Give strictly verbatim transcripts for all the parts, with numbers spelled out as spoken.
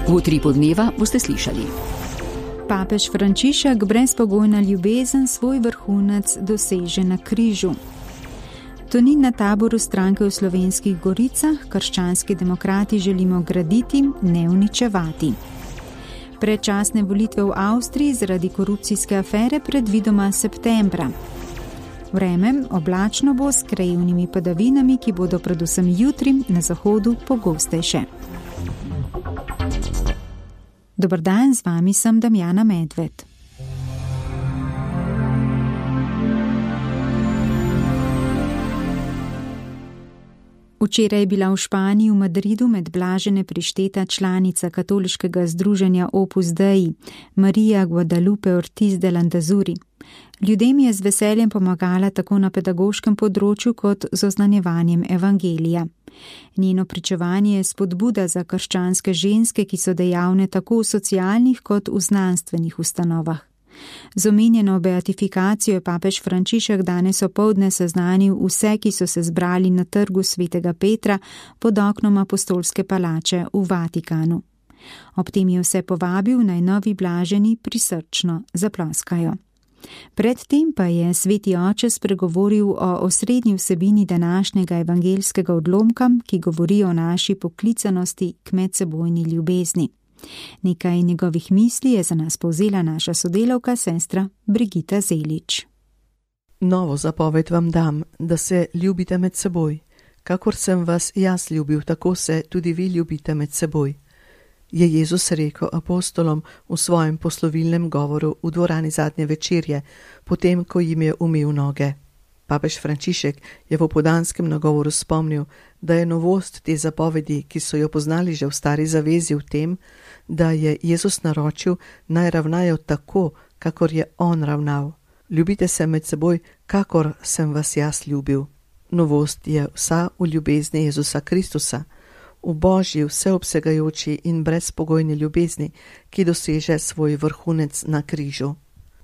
V utripu dneva boste slišali. Papež Frančišek brezpogojna ljubezen svoj vrhunec doseže na križu. Tonin na taboru stranke v Slovenskih Goricah, krščanski demokrati želimo graditi, ne uničevati. Predčasne volitve v Avstriji zaradi korupcijske afere predvidoma septembra. Vreme oblačno bo s krajevnimi padavinami, ki bodo predvsem jutri na zahodu pogostejše. Dober dan, z vami sem Damjana Medved. Včeraj je bila v Španiji v Madridu med blažene prišteta članica katoliškega združenja Opus Dei, Marija Guadalupe Ortiz de Landazuri. Ljudem je z veseljem pomagala tako na pedagoškem področju kot z oznanjevanjem evangelija. Njeno pričevanje je spodbuda za krščanske ženske, ki so dejavne tako v socialnih kot v znanstvenih ustanovah. Z omenjeno beatifikacijo je papež Frančišek danes opoldne seznanil vse, ki so se zbrali na trgu svetega Petra pod oknom apostolske palače v Vatikanu. Ob tem je vse povabil, naj novi blaženi prisrčno zaploskajo. Predtem pa je sveti oče spregovoril o osrednji vsebini današnjega evangeljskega odlomka, ki govori o naši poklicanosti k medsebojni ljubezni. Nekaj njegovih misli je za nas povzela naša sodelavka, sestra Brigita Zelič. Novo zapoved vam dam, da se ljubite med seboj. Kakor sem vas jaz ljubil, tako se tudi vi ljubite med seboj, je Jezus rekel apostolom v svojem poslovilnem govoru v dvorani zadnje večerje, potem, ko jim je umil noge. Papež Frančišek je v opoldanskem nagovoru spomnil, da je novost te zapovedi, ki so jo poznali že v stari zavezi, v tem, da je Jezus naročil, naj ravnajo tako, kakor je on ravnal. Ljubite se med seboj, kakor sem vas jaz ljubil. Novost je vsa v ljubezni Jezusa Kristusa, v Božji vseobsegajoči in brezpogojni ljubezni, ki doseže svoj vrhunec na križu.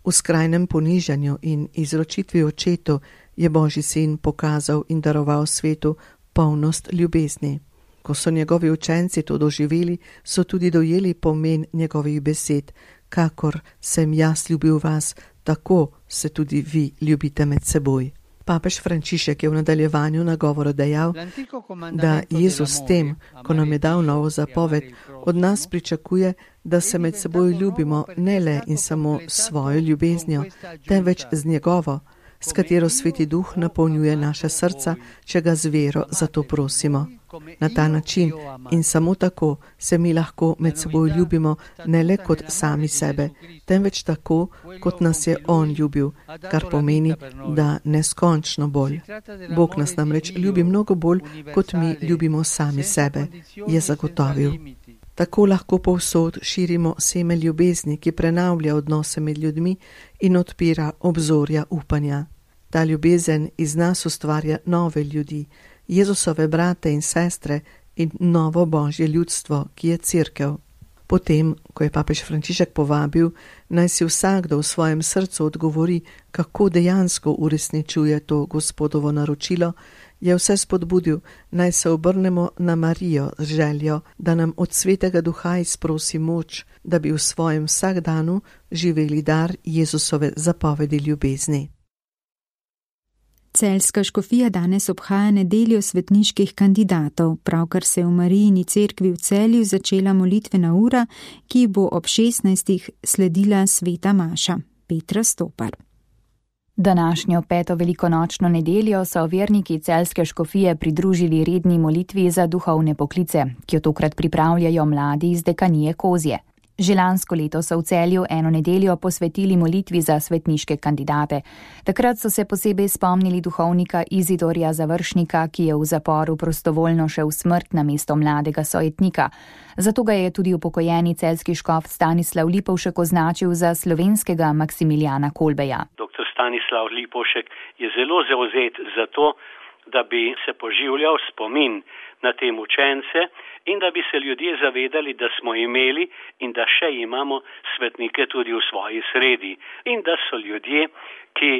V skrajnem ponižanju in izročitvi očetu je Božji sin pokazal in daroval svetu polnost ljubezni. Ko so njegovi učenci to doživeli, so tudi dojeli pomen njegovih besed, kakor sem jaz ljubil vas, tako se tudi vi ljubite med seboj. Papež Frančišek je v nadaljevanju nagovora dejal, da Jezus s tem, ko nam je dal novo zapoved, od nas pričakuje, da se med seboj ljubimo ne le in samo s svojo ljubeznjo, temveč z njegovo, s katero Sveti Duh napolnjuje naša srca, če ga z vero za to prosimo. Na ta način in samo tako se mi lahko med seboj ljubimo ne le kot sami sebe, temveč tako, kot nas je On ljubil, kar pomeni, da neskončno bolj. Bog nas namreč ljubi mnogo bolj, kot mi ljubimo sami sebe, je zagotovil. Tako lahko povsod širimo seme ljubezni, ki prenavlja odnose med ljudmi in odpira obzorja upanja. Ta ljubezen iz nas ustvarja nove ljudi, Jezusove brate in sestre in novo Božje ljudstvo, ki je cerkev. Potem, ko je papež Frančišek povabil, naj si vsakdo v svojem srcu odgovori, kako dejansko uresničuje to Gospodovo naročilo, je vse spodbudil, naj se obrnemo na Marijo z željo, da nam od Svetega Duha izprosi moč, da bi v svojem vsakdanu živeli dar Jezusove zapovedi ljubezni. Celjska škofija danes obhaja nedeljo svetniških kandidatov, pravkar se je v Marijini cerkvi v Celju začela molitvena ura, ki bo ob šestnajstih sledila sveta maša. Petra Stopar. Današnjo peto velikonočno nedeljo so verniki celjske škofije pridružili redni molitvi za duhovne poklice, ki jo tokrat pripravljajo mladi iz dekanije Kozje. Že lansko leto so v Celju eno nedeljo posvetili molitvi za svetniške kandidate. Takrat so se posebej spomnili duhovnika Izidorja Završnika, ki je v zaporu prostovoljno šel v smrt na mesto mladega sojetnika. Zato ga je tudi upokojeni celjski škof Stanislav Lipovšek označil za slovenskega Maksimilijana Kolbeja. Doktor Stanislav Lipovšek je zelo zavzet za to, da bi se poživljal spomin na te mučence in da bi se ljudje zavedali, da smo imeli in da še imamo svetnike tudi v svoji sredi. In da so ljudje, ki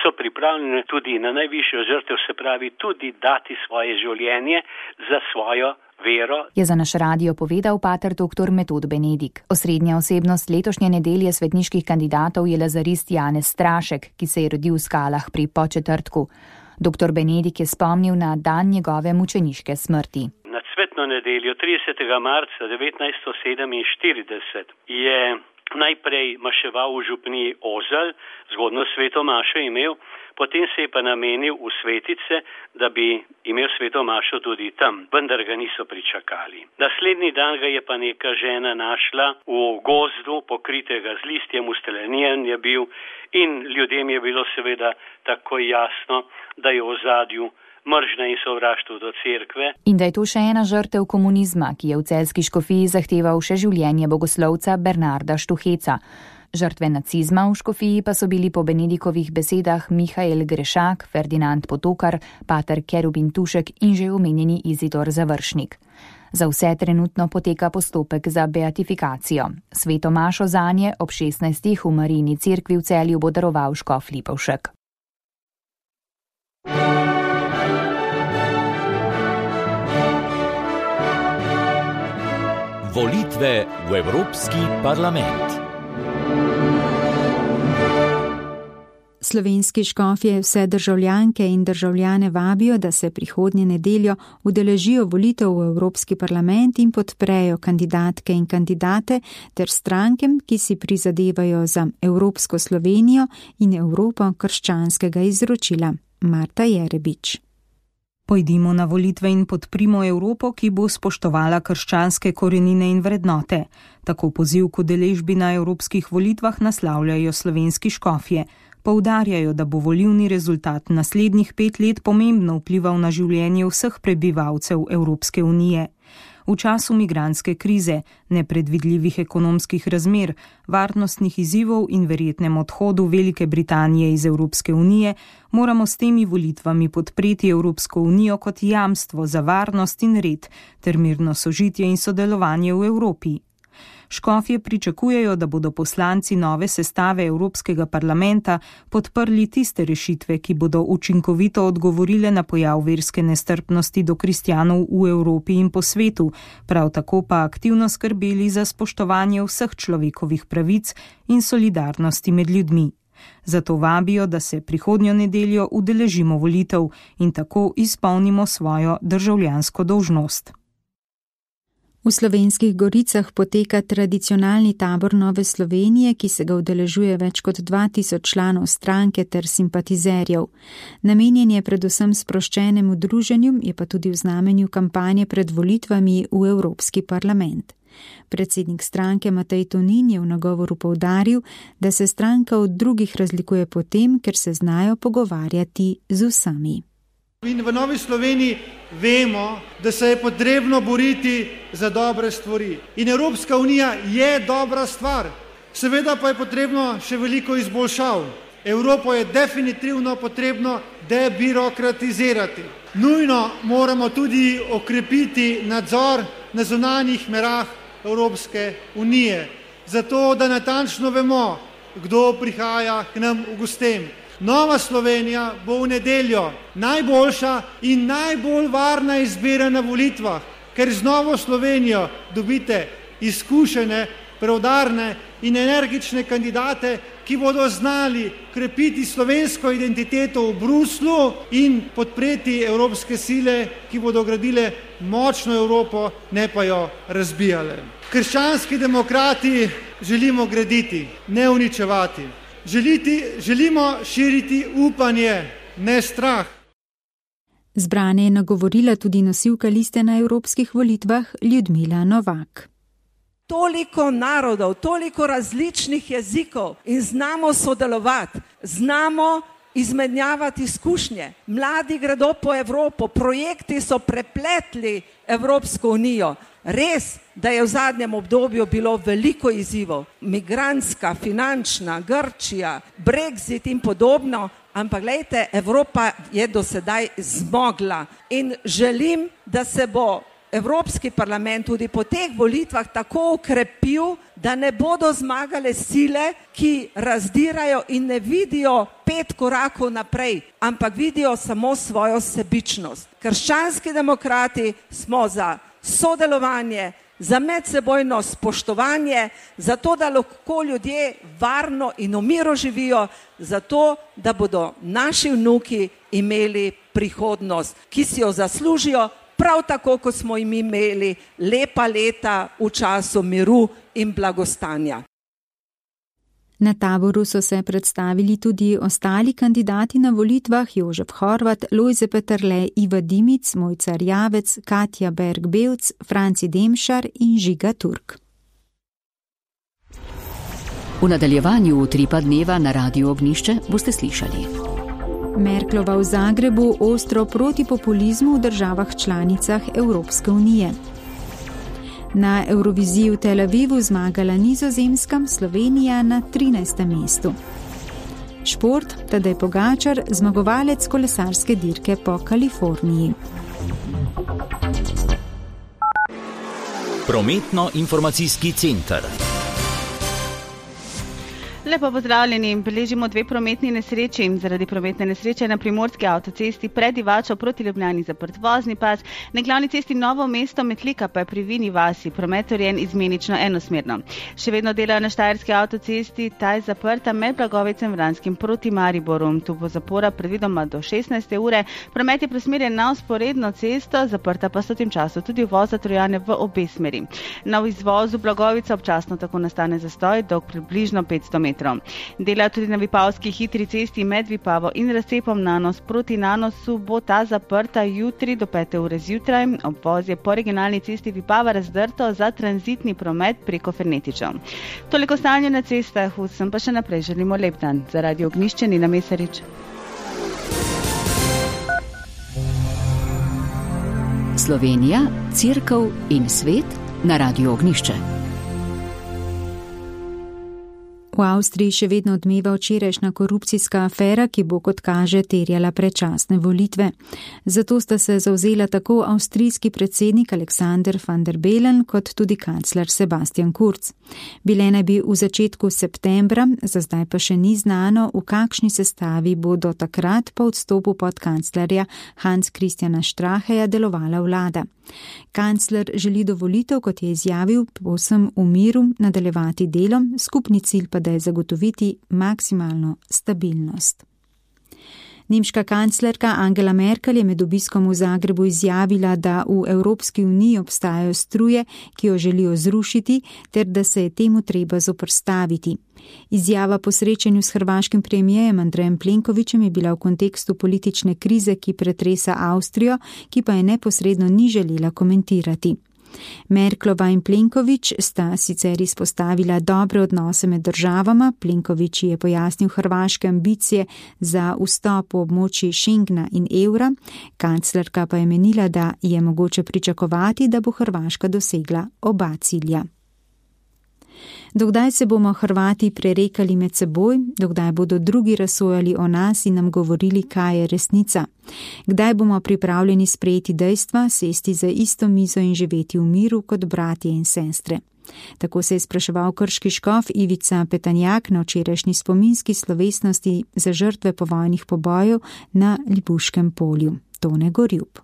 so pripravljeni tudi na najvišjo žrtev, se pravi tudi dati svoje življenje za svojo vero. Je za naš radio povedal pater doktor Metod Benedik. Osrednja osebnost letošnje nedelje svetniških kandidatov je lazarist Janez Strašek, ki se je rodil v Skalah pri Podčetrtku. Doktor Benedik je spomnil na dan njegove mučeniške smrti. Na cvetno nedeljo tridesetega marca devetnajststo sedeminštirideset je najprej maševal v župniji Ozelj, zgodno sveto mašo imel, potem se je pa namenil v svetice, da bi imel sveto mašo tudi tam, vendar ga niso pričakali. Naslednji dan ga je pa neka žena našla v gozdu, pokritega z listjem, usteljen je bil in ljudem je bilo seveda takoj jasno, da je v ozadju mržnja in sovraštvo do cerkve. In da je to še ena žrtev komunizma, ki je v celjski škofiji zahteval še življenje bogoslovca Bernarda Štuheca. Žrtve nacizma v škofiji pa so bili po Benedikovih besedah Mihael Grešak, Ferdinand Potokar, pater Kerubin Tušek in že omenjeni Izidor Završnik. Za vse trenutno poteka postopek za beatifikacijo. Sveto mašo zanje ob šestnajstih v Marijini cerkvi v Celju bo daroval škof Lipovšek. Volitve v Evropski parlament. Slovenski škofje vse državljanke in državljane vabijo, da se prihodnje nedeljo udeležijo volitev v Evropski parlament in podprejo kandidatke in kandidate ter strankem, ki si prizadevajo za Evropsko Slovenijo in Evropo krščanskega izročila. Marta Jerebič. Pojdimo na volitve in podprimo Evropo, ki bo spoštovala krščanske korenine in vrednote. Tako poziv k udeležbi na evropskih volitvah naslavljajo slovenski škofje. Poudarjajo, da bo volilni rezultat naslednjih pet let pomembno vplival na življenje vseh prebivalcev Evropske unije. V času migrantske krize, nepredvidljivih ekonomskih razmer, varnostnih izzivov in verjetnem odhodu Velike Britanije iz Evropske unije moramo s temi volitvami podpreti Evropsko unijo kot jamstvo za varnost in red ter mirno sožitje in sodelovanje v Evropi. Škofje pričakujejo, da bodo poslanci nove sestave Evropskega parlamenta podprli tiste rešitve, ki bodo učinkovito odgovorile na pojav verske nestrpnosti do kristjanov v Evropi in po svetu, prav tako pa aktivno skrbeli za spoštovanje vseh človekovih pravic in solidarnosti med ljudmi. Zato vabijo, da se prihodnjo nedeljo udeležimo volitev in tako izpolnimo svojo državljansko dolžnost. V Slovenskih Goricah poteka tradicionalni tabor Nove Slovenije, ki se ga udeležuje več kot dva tisoč članov stranke ter simpatizerjev. Namenjen je predvsem sproščenemu druženju, je pa tudi v znamenju kampanje pred volitvami v Evropski parlament. Predsednik stranke Matej Tonin je v nagovoru poudaril, da se stranka od drugih razlikuje po tem, ker se znajo pogovarjati z vsemi. In v Novi Sloveniji vemo, da se je potrebno boriti za dobre stvari. In Evropska unija je dobra stvar. Seveda pa je potrebno še veliko izboljšav. Evropo je definitivno potrebno debirokratizirati. Nujno moramo tudi okrepiti nadzor na zunanjih merah Evropske unije, zato da natančno vemo, kdo prihaja k nam v gostem. Nova Slovenija bo v nedeljo najboljša in najbolj varna izbira na volitvah, ker z Novo Slovenijo dobite izkušene, preudarne in energične kandidate, ki bodo znali krepiti slovensko identiteto v Bruslu in podpreti evropske sile, ki bodo gradile močno Evropo, ne pa jo razbijale. Krščanski demokrati želimo graditi, ne uničevati. Želiti, želimo širiti upanje, ne strah. Zbrane je nagovorila tudi nosilka liste na evropskih volitvah Ljudmila Novak. Toliko narodov, toliko različnih jezikov in znamo sodelovati, znamo izmenjavati izkušnje. Mladi gredo po Evropo, projekti so prepletli Evropsko unijo. Res, da je v zadnjem obdobju bilo veliko izzivov, migrantska, finančna, Grčija, Brexit in podobno, ampak glejte, Evropa je do sedaj zmogla in želim, da se bo Evropski parlament tudi po teh volitvah tako ukrepil, da ne bodo zmagale sile, ki razdirajo in ne vidijo pet korakov naprej, ampak vidijo samo svojo sebičnost. Krščanski demokrati smo za sodelovanje, za medsebojno spoštovanje, za to, da lahko ljudje varno in v miru živijo, za to, da bodo naši vnuki imeli prihodnost, ki si jo zaslužijo, prav tako, kot smo jim imeli lepa leta v času miru in blagostanja. Na taboru so se predstavili tudi ostali kandidati na volitvah: Jožef Horvat, Lojze Peterle, Iva Dimic, Mojca Rjavec, Katja Berg-Bevc, Franci Demšar in Žiga Turk. V nadaljevanju utripa dneva na Radiu Ognjišče boste slišali. Merklova v Zagrebu ostro proti populizmu v državah članicah Evropske unije. Na Evroviziji v Tel Avivu zmagala Nizozemska, Slovenija na trinajstem mestu. Šport, Tadej Pogačar, zmagovalec kolesarske dirke po Kaliforniji. Prometno-informacijski center. Lepo pozdravljeni. Beležimo dve prometni nesreči. Zaradi prometne nesreče na primorski avtocesti pred Divačo proti Ljubljani zaprt vozni pas, na glavni cesti Novo mesto Metlika pa je pri Vini vasi promet urejen izmenično enosmerno. Še vedno delajo na štajerski avtocesti, ta je zaprta med Blagovicem Vranskim proti Mariboru. Tu bo zapora predvidoma do šestnajste ure. Promet je presmerjen na vzporedno cesto, zaprta pa so v tem času tudi uvoza Trojane v obe smeri. Na izvozu Blagovica občasno tako nastane zastoj dolg približno petsto metrov. Delajo tudi na Vipavski hitri cesti med Vipavo in Razcepom Nanos proti Nanosu, bo ta zaprta jutri do pete ure zjutraj. Obvoz je po regionalni cesti Vipava razdrto za tranzitni promet preko Fernetičev. Toliko stanje na cestah, vsem pa še naprej želimo lep dan. Za Radio Ognjišče Nina Mesarič. Slovenija, Cerkev in svet na Radiu Ognjišče. V Avstriji še vedno odmeva včerajšnja korupcijska afera, ki bo, kot kaže, terjala predčasne volitve. Zato sta se zavzela tako avstrijski predsednik Alexander van der Bellen kot tudi kancler Sebastian Kurz. Bile naj bi v začetku septembra, za zdaj pa še ni znano, v kakšni sestavi bo do takrat po odstopu podkanclerja Hans Christiana Stracheja delovala vlada. Kancler želi do volitev, kot je izjavil, povsem v miru nadaljevati delo, skupni cilj pa da je zagotoviti maksimalno stabilnost. Nemška kanclerka Angela Merkel je med obiskom v Zagrebu izjavila, da v Evropski uniji obstajajo struje, ki jo želijo zrušiti, ter da se je temu treba zoprstaviti. Izjava po srečanju s hrvaškim premijejem Andrejem Plenkovićem je bila v kontekstu politične krize, ki pretresa Avstrijo, ki pa je neposredno ni želela komentirati. Merklova in Plenković sta sicer izpostavila dobre odnose med državama. Plenković je pojasnil hrvaške ambicije za vstop v območje Schengna in evra, kanclerka pa je menila, da je mogoče pričakovati, da bo Hrvaška dosegla oba cilja. Dokdaj se bomo Hrvati prerekali med seboj, dokdaj bodo drugi razsojali o nas in nam govorili, kaj je resnica? Kdaj bomo pripravljeni sprejeti dejstva, sesti za isto mizo in živeti v miru kot bratje in sestre? Tako se je spraševal krški škof Ivica Petanjak na včerajšnji spominski slovesnosti za žrtve povojnih pobojev na Libuškem polju. Tone Gorjub.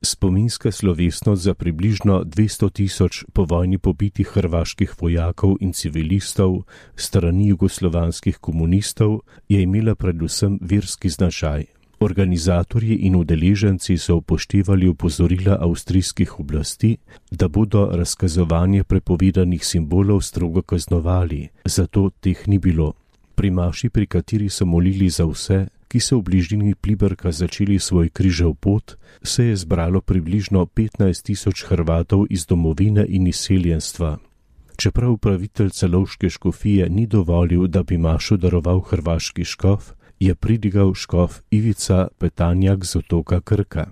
Spominska slovesnost za približno dvesto tisoč povojni pobitih hrvaških vojakov in civilistov strani jugoslovanskih komunistov je imela predvsem verski značaj. Organizatorji in udeleženci so upoštevali opozorila avstrijskih oblasti, da bodo razkazovanje prepovedanih simbolov strogo kaznovali, zato teh ni bilo. Pri maši, pri kateri so molili za vse, ki so v bližini Pliberka začeli svoj križev pot, se je zbralo približno petnajst tisoč Hrvatov iz domovine in izseljenstva. Čeprav upravitelj celovške škofije ni dovolil, da bi mašo daroval hrvaški škof, je pridigal škof Ivica Petanjak z otoka Krka.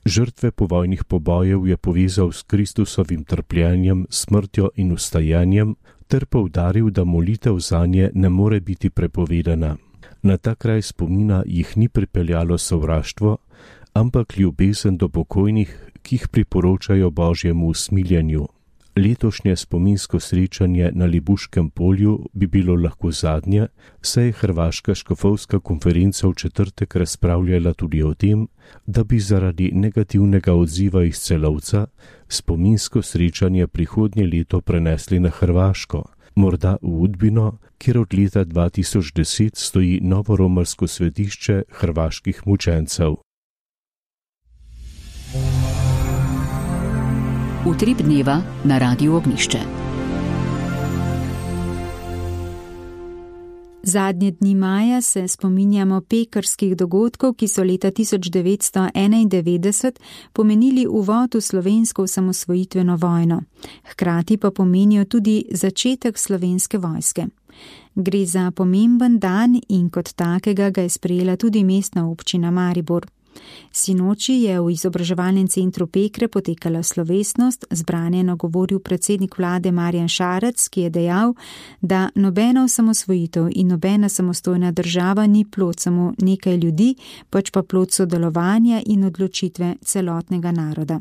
Žrtve povojnih pobojev je povezal s Kristusovim trpljenjem, smrtjo in vstajanjem, ter poudaril, da molitev zanje ne more biti prepovedana. Na ta kraj spomina jih ni pripeljalo sovraštvo, ampak ljubezen do pokojnih, ki jih priporočajo Božjemu usmiljenju. Letošnje spominsko srečanje na Libuškem polju bi bilo lahko zadnje, saj je Hrvaška škofovska konferenca v četrtek razpravljala tudi o tem, da bi zaradi negativnega odziva iz Celovca spominsko srečanje prihodnje leto prenesli na Hrvaško, morda v Udbino, kjer od leta dva tisoč deset stoji novo romarsko svetišče hrvaških mučencev. Utrip dneva na Radiu Ognjišče. Zadnje dni maja se spominjamo pekrskih dogodkov, ki so leta tisoč devetsto enaindevetdeset pomenili uvod v slovensko osamosvojitveno vojno. Hkrati pa pomenijo tudi začetek slovenske vojske. Gre za pomemben dan in kot takega ga je sprejela tudi mestna občina Maribor. Sinoči je v izobraževalnem centru Pekre potekala slovesnost, zbranje je nagovoril predsednik vlade Marjan Šarec, ki je dejal, da nobena osamosvojitev in nobena samostojna država ni plod samo nekaj ljudi, pač pa plod sodelovanja in odločitve celotnega naroda.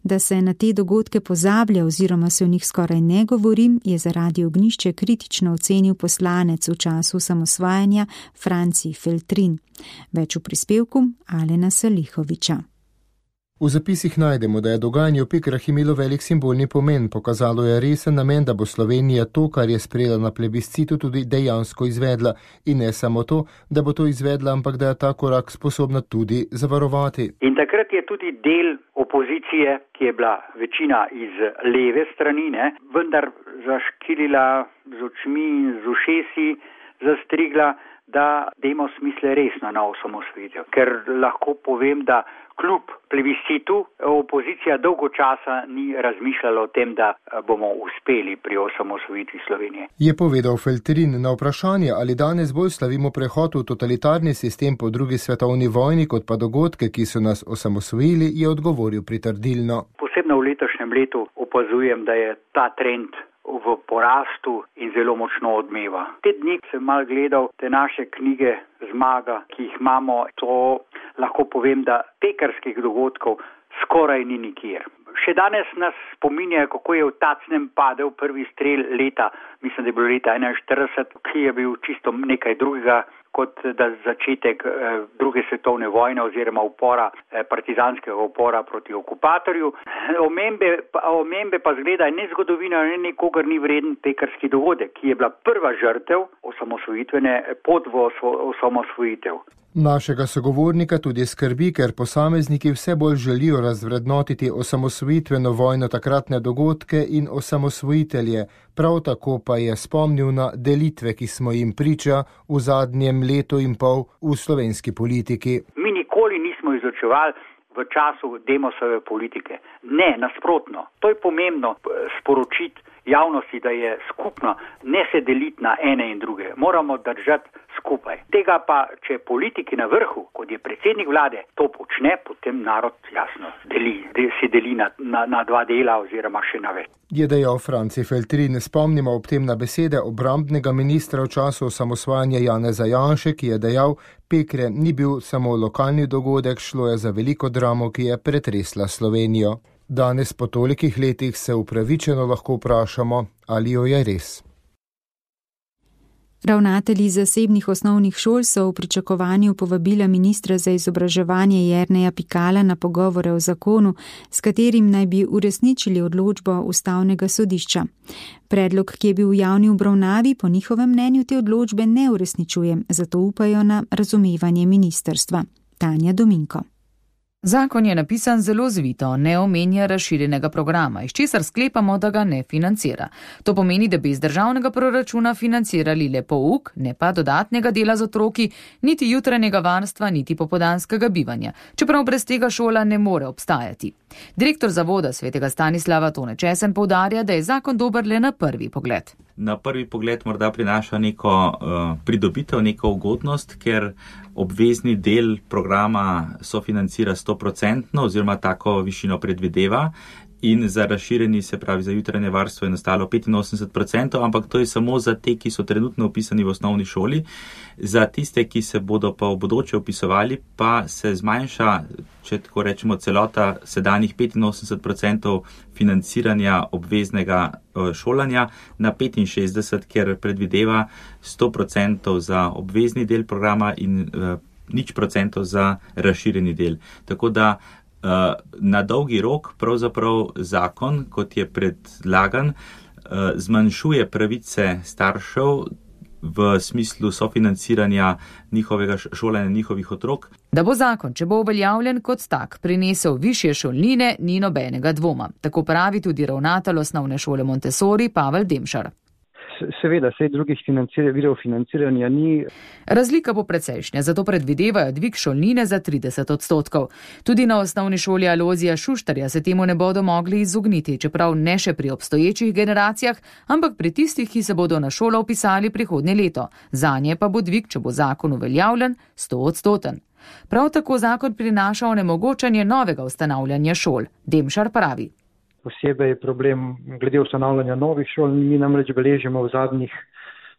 Da se na te dogodke pozablja oziroma se o njih skoraj ne govorim, je za Radio Ognjišče kritično ocenil poslanec v času osamosvajanja Franci Feltrin. Več v prispevku Alena Salihoviča. V zapisih najdemo, da je dogajanje v Pekrah imelo velik simbolni pomen, pokazalo je resen namen, da bo Slovenija to, kar je sprejela na plebiscitu, tudi dejansko izvedla in ne samo to, da bo to izvedla, ampak da je ta korak sposobna tudi zavarovati. In takrat je tudi del opozicije, ki je bila večina iz leve strani, ne, vendar zaškilila z očmi in z ušesi, zastrigla, da dajmo smisle resno na osamosvojitev. Ker lahko povem, da kljub plebiscitu opozicija dolgo časa ni razmišljala o tem, da bomo uspeli pri osamosvojitvi Slovenije. Je povedal Feltrin na vprašanje, ali danes bolj slavimo prehod v totalitarni sistem po drugi svetovni vojni, kot pa dogodke, ki so nas osamosvojili, je odgovoril pritrdilno. Posebno v letošnjem letu opazujem, da je ta trend v porastu in zelo močno odmeva. Te dni sem mal gledal te naše knjige Zmaga, ki jih imamo, to lahko povem, da pekrskih dogodkov skoraj ni nikjer. Še danes nas spominjajo, kako je v Tacnem padel prvi strel leta, mislim, da je bilo leta enainštirideset, ki je bil čisto nekaj drugega kot da začetek eh, druge svetovne vojne oziroma upora, eh, partizanskega upora proti okupatorju. Omembe, omembe pa zgleda ne zgodovina, ne nikogar ni vreden pekrski dogodek, ki je bila prva žrtev osamosvojitvene pot v osamosvojitev. Našega sogovornika tudi skrbi, ker posamezniki vse bolj želijo razvrednotiti osamosvojitveno vojno, takratne dogodke in osamosvojitelje. Prav tako pa je spomnil na delitve, ki smo jim priča v zadnjem letu in pol v slovenski politiki. Mi nikoli nismo izučevali v času Demosove politike. Ne, nasprotno. To je pomembno sporočiti javnosti, da je skupno, ne se deliti na ene in druge. Moramo držati skupaj. Tega pa, če politiki na vrhu, kot je predsednik vlade, to počne, potem narod jasno deli, se deli na, na, na dva dela oziroma še na več. Je dejal Franci Feltrin. Spomnimo ob tem na besede obrambnega ministra v času osamosvajanja Janeza Janše, ki je dejal, Pekre ni bil samo lokalni dogodek, šlo je za veliko dramo, ki je pretresla Slovenijo. Danes po tolikih letih se upravičeno lahko vprašamo, ali jo je res. Ravnatelji zasebnih osnovnih šol so v pričakovanju povabila ministra za izobraževanje Jerneja Pikala na pogovore o zakonu, s katerim naj bi uresničili odločbo Ustavnega sodišča. Predlog, ki je bil v javni obravnavi, po njihovem mnenju te odločbe ne uresničuje, zato upajo na razumevanje ministrstva. Tanja Dominko. Zakon je napisan zelo zvito, ne omenja razširjenega programa, iz česar sklepamo, da ga ne financira. To pomeni, da bi iz državnega proračuna financirali le pouk, ne pa dodatnega dela z otroki, niti jutranjega varstva, niti popoldanskega bivanja, čeprav brez tega šola ne more obstajati. Direktor zavoda svetega Stanislava Tone Česen poudarja, da je zakon dober le na prvi pogled. Na prvi pogled morda prinaša neko uh, pridobitev, neko ugodnost, ker obvezni del programa sofinancira sto procentno oziroma tako višino predvideva in za razširjeni, se pravi za jutranje varstvo, je nastalo petinosemdeset procentov, ampak to je samo za te, ki so trenutno upisani v osnovni šoli. Za tiste, ki se bodo pa v bodoče upisovali, pa se zmanjša, če tako rečemo, celota sedanjih petinosemdeset procentov financiranja obveznega šolanja na petinšestdeset, ker predvideva sto procentov za obvezni del programa in uh, nič procentov za razširjeni del. Tako da na dolgi rok pravzaprav zakon, kot je predlagan, zmanjšuje pravice staršev v smislu sofinanciranja njihovega šolanja njihovih otrok. Da bo zakon, če bo uveljavljen kot tak, prinesel višje šolnine, ni nobenega dvoma. Tako pravi tudi ravnatelj osnovne šole Montessori Pavel Demšar. Seveda, sej drugih virov financiranja ni. Razlika bo precejšnja, zato predvidevajo dvig šolnine za trideset odstotkov. Tudi na osnovni šoli Alojzija Šuštarja se temu ne bodo mogli izogniti, čeprav ne še pri obstoječih generacijah, ampak pri tistih, ki se bodo na šolo vpisali prihodnje leto. Zanje pa bo dvig, če bo zakon uveljavljen, sto odstoten. Prav tako zakon prinaša onemogočanje novega ustanavljanja šol. Demšar pravi. Posebej problem glede ustanavljanja novih šol. Mi namreč beležimo v zadnjih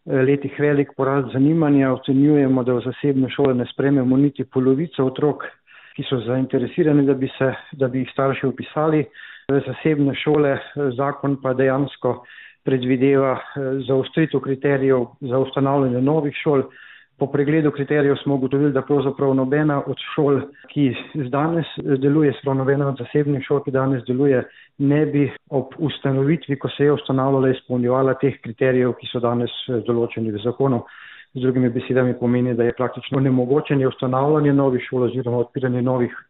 letih velik porast zanimanja. Ocenjujemo, da v zasebne šole ne sprememo niti polovico otrok, ki so zainteresirani, da bi, se, da bi jih starši upisali v zasebne šole. Zakon pa dejansko predvideva zaostritev kriterijev za ustanavljanje novih šol. Po pregledu kriterijev smo ugotovili, da pravzaprav nobena od šol, ki danes deluje, sprav nobena od zasebnih šol, ki danes deluje, ne bi ob ustanovitvi, ko se je ustanavljala, izpolnjevala teh kriterijev, ki so danes določeni v zakonu. Z drugimi besedami pomeni, da je praktično nemogočenje ustanavljanje novih šol oziroma odpiranje novih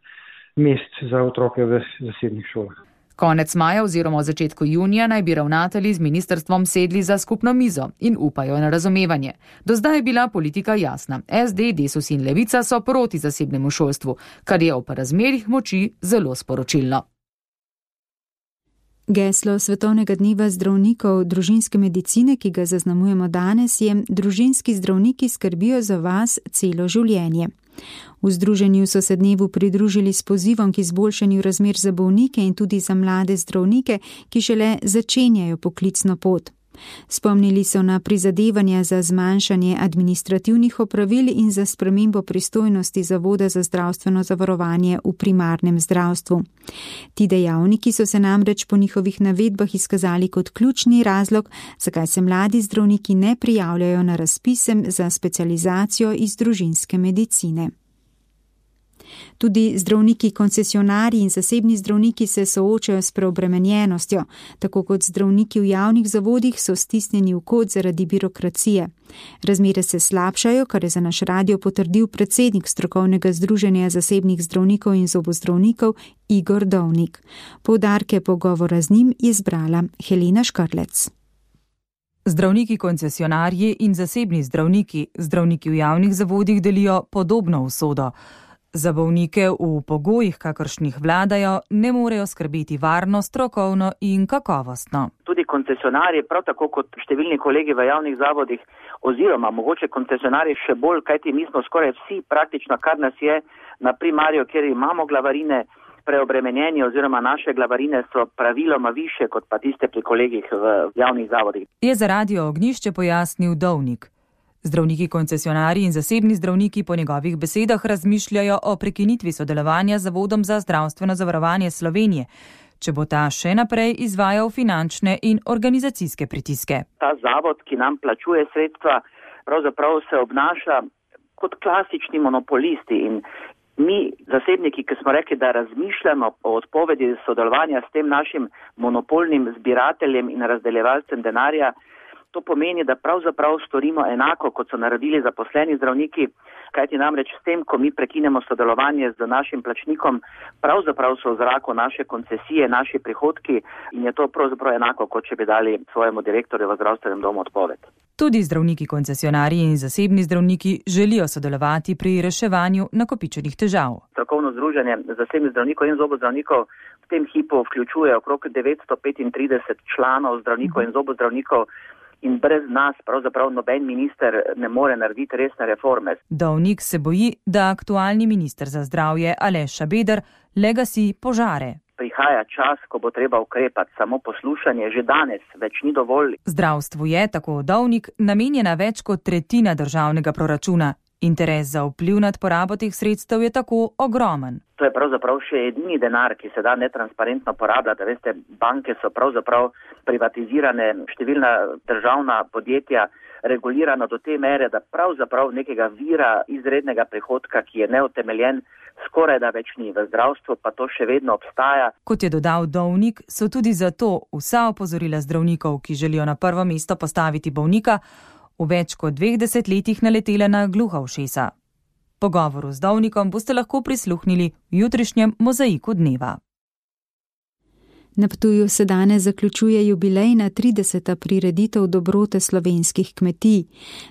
mest za otroke v zasebnih šolah. Konec maja oziroma v začetku junija naj bi ravnatelji z ministrstvom sedli za skupno mizo in upajo na razumevanje. Do zdaj je bila politika jasna. S D, Desus in Levica so proti zasebnemu šolstvu, kar je ob razmerih moči zelo sporočilno. Geslo Svetovnega dneva zdravnikov družinske medicine, ki ga zaznamujemo danes, je: družinski zdravniki skrbijo za vas celo življenje. V združenju so se dnevu pridružili s pozivom k izboljšanju razmer za bolnike in tudi za mlade zdravnike, ki šele začenjajo poklicno pot. Spomnili so na prizadevanja za zmanjšanje administrativnih opravil in za spremembo pristojnosti Zavoda za zdravstveno zavarovanje v primarnem zdravstvu. Ti dejavniki so se namreč po njihovih navedbah izkazali kot ključni razlog, zakaj se mladi zdravniki ne prijavljajo na razpise za specializacijo iz družinske medicine. Tudi zdravniki koncesionarji in zasebni zdravniki se soočajo s preobremenjenostjo, tako kot zdravniki v javnih zavodih so stisnjeni v kot zaradi birokracije. Razmere se slabšajo, kar je za naš radio potrdil predsednik strokovnega združenja zasebnih zdravnikov in zobozdravnikov Igor Dovnik. Poudarke pogovora z njim je zbrala Helena Škrlec. Zdravniki koncesionarji in zasebni zdravniki, zdravniki v javnih zavodih delijo podobno usodo. Za bolnike v pogojih, kakršnih vladajo, ne morejo skrbeti varno, strokovno in kakovostno. Tudi koncesionarji, prav tako kot številni kolegi v javnih zavodih, oziroma mogoče koncesionarji še bolj, kajti mi smo skoraj vsi praktično, kar nas je na primarju, kjer imamo glavarine, preobremenjeni oziroma naše glavarine so praviloma više kot pa tiste pri kolegih v javnih zavodih. Je za Radio Ognjišče pojasnil Dovnik. Zdravniki koncesionarji in zasebni zdravniki po njegovih besedah razmišljajo o prekinitvi sodelovanja z Zavodom za zdravstveno zavarovanje Slovenije, če bo ta še naprej izvajal finančne in organizacijske pritiske. Ta zavod, ki nam plačuje sredstva, pravzaprav se obnaša kot klasični monopolisti in mi, zasebniki, ki smo rekli, da razmišljamo o odpovedi sodelovanja s tem našim monopolnim zbirateljem in razdeljevalcem denarja, to pomeni, da pravzaprav storimo enako, kot so naredili zaposleni zdravniki, kajti namreč s tem, ko mi prekinemo sodelovanje z našim plačnikom, pravzaprav so v zraku naše koncesije, naši prihodki in je to pravzaprav enako, kot če bi dali svojemu direktorju v zdravstvenem domu odpoved. Tudi zdravniki koncesionarji in zasebni zdravniki želijo sodelovati pri reševanju nakopičenih težav. Strokovno združenje zasebnih zdravnikov in zobozdravnikov v tem hipu vključuje okrog devetsto petintrideset članov zdravnikov in zobozdravnikov, in brez nas pravzaprav noben minister ne more narediti resne reforme. Dovnik se boji, da aktualni minister za zdravje Aleš Šabeder le gasi požare. prihaja čas, ko bo treba ukrepati. Samo poslušanje že danes več ni dovolj. Zdravstvu je, tako Dovnik, namenjena več kot tretjina državnega proračuna. Interes za vpliv nad porabo teh sredstev je tako ogromen. To je pravzaprav še edini denar, ki se da netransparentno porabljati. Veste, banke so pravzaprav privatizirane, številna državna podjetja regulirana do te mere, da pravzaprav nekega vira izrednega prihodka, ki je neutemeljen, skoraj da več ni. V zdravstvu pa to še vedno obstaja. Kot je dodal Dovnik, so tudi zato vsa opozorila zdravnikov, ki želijo na prvo mesto postaviti bolnika, v več kot dveh desetletjih naletela na gluha ušesa. Pogovoru z Dovnikom boste lahko prisluhnili v jutrišnjem Mozaiku dneva. Na Ptuju se danes zaključuje jubilejna trideseta prireditev dobrote slovenskih kmetij.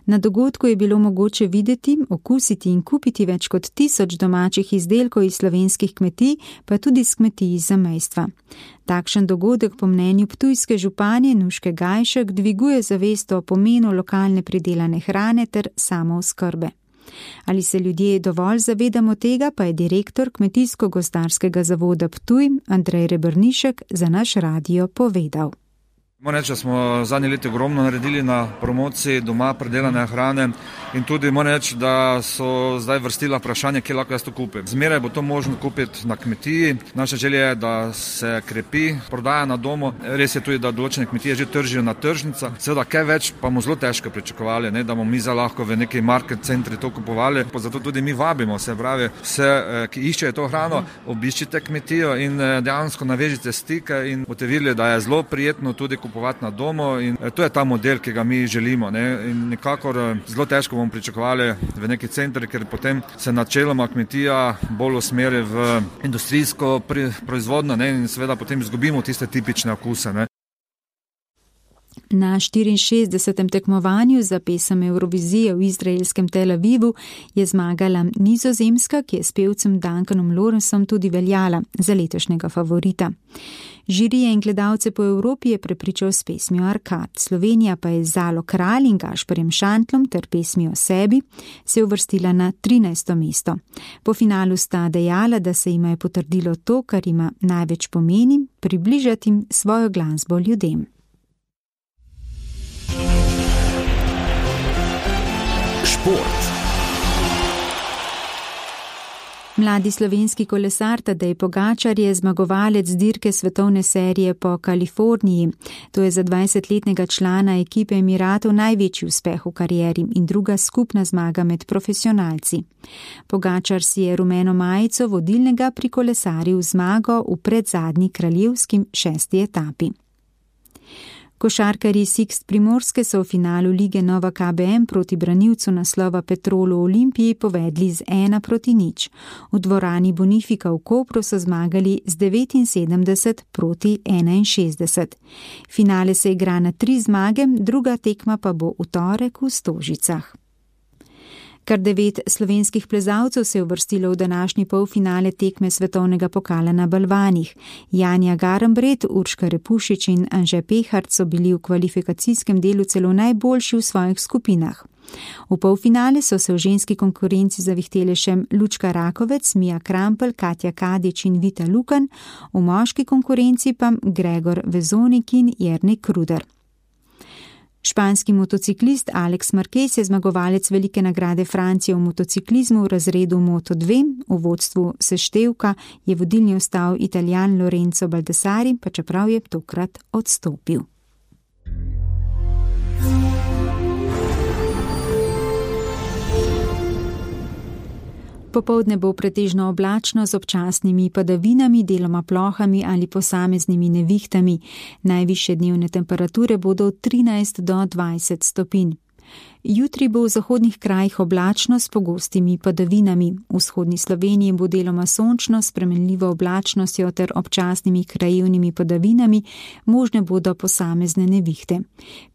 Na dogodku je bilo mogoče videti, okusiti in kupiti več kot tisoč domačih izdelkov iz slovenskih kmetij, pa tudi iz kmetij iz zamejstva. Takšen dogodek po mnenju ptujske županje Nuške Gajšek dviguje zavest o pomenu lokalne pridelane hrane ter samooskrbe. Ali se ljudje dovolj zavedamo tega, pa je direktor Kmetijsko-gozdarskega zavoda Ptuj Andrej Rebrnišek za naš radio povedal. Moram reči, da smo zadnje leti ogromno naredili na promociji doma predelane hrane in tudi moram reči, da so zdaj vrstila vprašanje, kje lahko jaz to kupim. Zmeraj bo to možno kupiti na kmetiji. Naša želja je, da se krepi prodaja na domu. Res je tudi, da določene kmetije že tržijo na tržnicah. Seveda, kaj več pa bomo zelo težko pričakovali, ne, da bomo mi za lahko v neki market centri to kupovali. Zato tudi mi vabimo, se pravi, vse, ki iščejo to hrano, obiščite kmetijo in dejansko navežite stike in boste videli, da je zelo prijetno tudi kupovati na domu in to je ta model, ki ga mi želimo. Ne? In nekakor zelo težko bomo pričakovali v neki centri, ker potem se načeloma kmetija bolj usmeri v industrijsko proizvodnjo, ne? In seveda potem izgubimo tiste tipične okuse. Ne? Na štiriinšestdesetem tekmovanju za pesem Eurovizije v izraelskem Tel Avivu je zmagala Nizozemska, ki je s pevcem Duncanom Lawrenceom tudi veljala za letošnjega favorita. Žirije in gledalce po Evropi je prepričal s pesmijo Arkad. Slovenija pa je z Zalo Kralj in Gašperjem Šantlom ter pesmijo o sebi se uvrstila na trinajsto mesto. Po finalu sta dejala, da se jima je potrdilo to, kar ima največ pomeni, približati jim svojo glasbo ljudem. Šport. Mladi slovenski kolesar Tadej Pogačar je zmagovalec dirke svetovne serije po Kaliforniji. To je za dvajsetletnega člana ekipe Emiratov največji uspeh v karieri in druga skupna zmaga med profesionalci. Pogačar si je rumeno majico vodilnega prikolesaril zmago v predzadnji kraljevskim šesti etapi. Košarkarji Sixt Primorske so v finalu lige Nova K B M proti branilcu naslova Petrolu Olimpiji povedli z ena proti nič. V dvorani Bonifika v Kopru so zmagali z devetinsedemdeset proti enainšestdeset. Finale se igra na tri zmage, druga tekma pa bo v torek v Stožicah. Kar devet slovenskih plezalcev se je uvrstilo v današnji polfinale tekme svetovnega pokala na balvanih. Janja Garambret, Urška Repušič in Anže Pehart so bili v kvalifikacijskem delu celo najboljši v svojih skupinah. V polfinale so se v ženski konkurenci zavihtele še Lučka Rakovec, Mija Krampel, Katja Kadič in Vita Lukan, v moški konkurenci pa Gregor Vezonik in Jernej Kruder. Španski motociklist Alex Marquez je zmagovalec velike nagrade Francije v motociklizmu v razredu Moto dve. V vodstvu seštevka je vodilni ostal Italijan Lorenzo Baldassari, pa čeprav je tokrat odstopil. Popoldne bo pretežno oblačno z občasnimi padavinami, deloma plohami ali posameznimi nevihtami. Najvišje dnevne temperature bodo od trinajst do dvajset stopinj. Jutri bo v zahodnih krajih oblačno s pogostimi padavinami. V vzhodni Sloveniji bo deloma sončno, spremenljivo oblačnostjo ter občasnimi krajevnimi padavinami, možne bodo posamezne nevihte.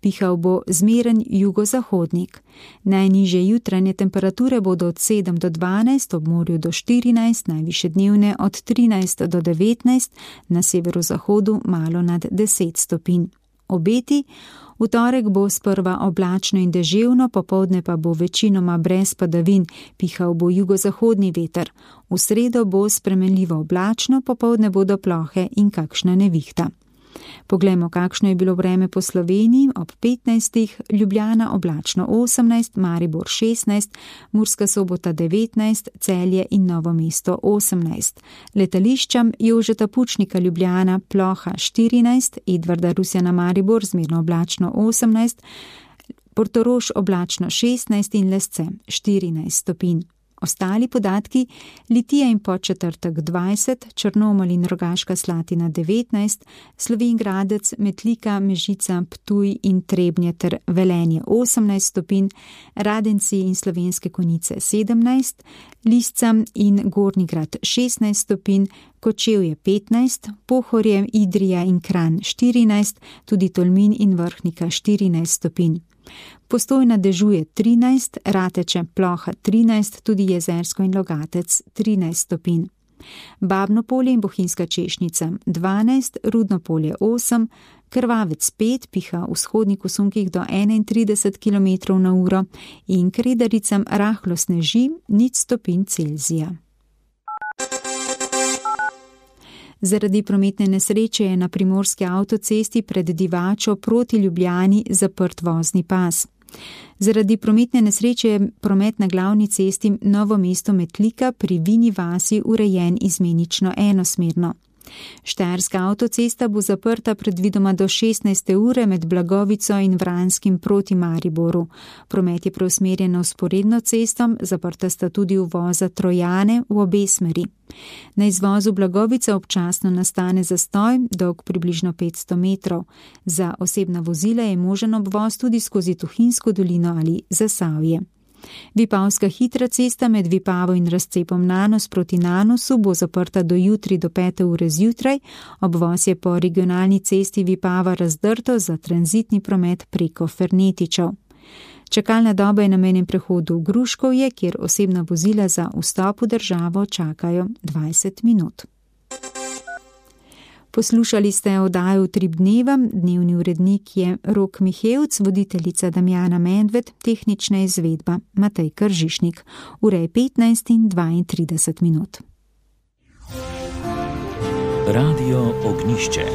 Pihal bo zmeren jugozahodnik. Najnižje jutranje temperature bodo od sedem do dvanajst, ob morju do štirinajst, najvišje dnevne od trinajst do devetnajst, na severozahodu malo nad deset stopinj. Obeti: v torek bo sprva oblačno in deževno, popoldne pa bo večinoma brez padavin, pihal bo jugozahodni veter. V sredo bo spremenljivo oblačno, popoldne bodo plohe in kakšna nevihta. Poglejmo, kakšno je bilo vreme po Sloveniji. Ob petnajstih, Ljubljana oblačno osemnajst, Maribor šestnajst, Murska Sobota devetnajst, Celje in Novo mesto osemnajst. Letališčem Jožeta Pučnika Ljubljana ploha štirinajst, Edvarda Rusjana Maribor zmerno oblačno osemnajst, Portorož oblačno šestnajst in Lesce štirinajst stopinj. Ostali podatki: Litija in Podčetrtek dvajset, Črnomelj in Rogaška Slatina devetnajst, Slovenj Gradec, Metlika, Mežica, Ptuj in Trebnje ter Velenje osemnajst stopinj, Radenci in Slovenske Konjice sedemnajst, Lisca in Gornji Grad šestnajst stopinj, Kočevje petnajst, Pohorje, Idrija in Kranj štirinajst, tudi Tolmin in Vrhnika štirinajst stopinj. Postojna dežuje trinajst, Rateče ploha trinajst, tudi Jezersko in Logatec trinajst stopinj. Babno Polje in Bohinjska Češnica dvanajst, Rudno Polje osem, Krvavec pet, piha v vzhodnih usunkih do enaintrideset kilometrov na uro in Kredaricam rahlo sneži nič stopinj Celzija. Zaradi prometne nesreče je na primorski avtocesti pred Divačo proti Ljubljani zaprt vozni pas. Zaradi prometne nesreče je promet na glavni cesti Novo mesto Metlika pri Vini vasi urejen izmenično enosmerno. Štajerska avtocesta bo zaprta predvidoma do šestnajste ure med Blagovico in Vranskim proti Mariboru. Promet je preusmerjen na vzporedno cesto, zaprta sta tudi uvoza Trojane v obe smeri. Na izvozu Blagovica občasno nastane zastoj, dolg približno petsto metrov. Za osebna vozila je možen obvoz tudi skozi Tuhinjsko dolino ali Zasavje. Vipavska hitra cesta med Vipavo in razcepom Nanos proti Nanosu bo zaprta do jutri do pete ure zjutraj, obvoz je po regionalni cesti Vipava razdrto za tranzitni promet preko Fernetičev. Čakalna doba je na mejnem prehodu v Gruškovje, kjer osebna vozila za vstop v državo čakajo dvajset minut. Poslušali ste oddajo Utrip dneva, dnevni urednik je Rok Mihevc, voditeljica Damjana Medved, tehnična izvedba Matej Kržišnik. Ura je petnajst in dvaintrideset minut. Radio Ognjišče.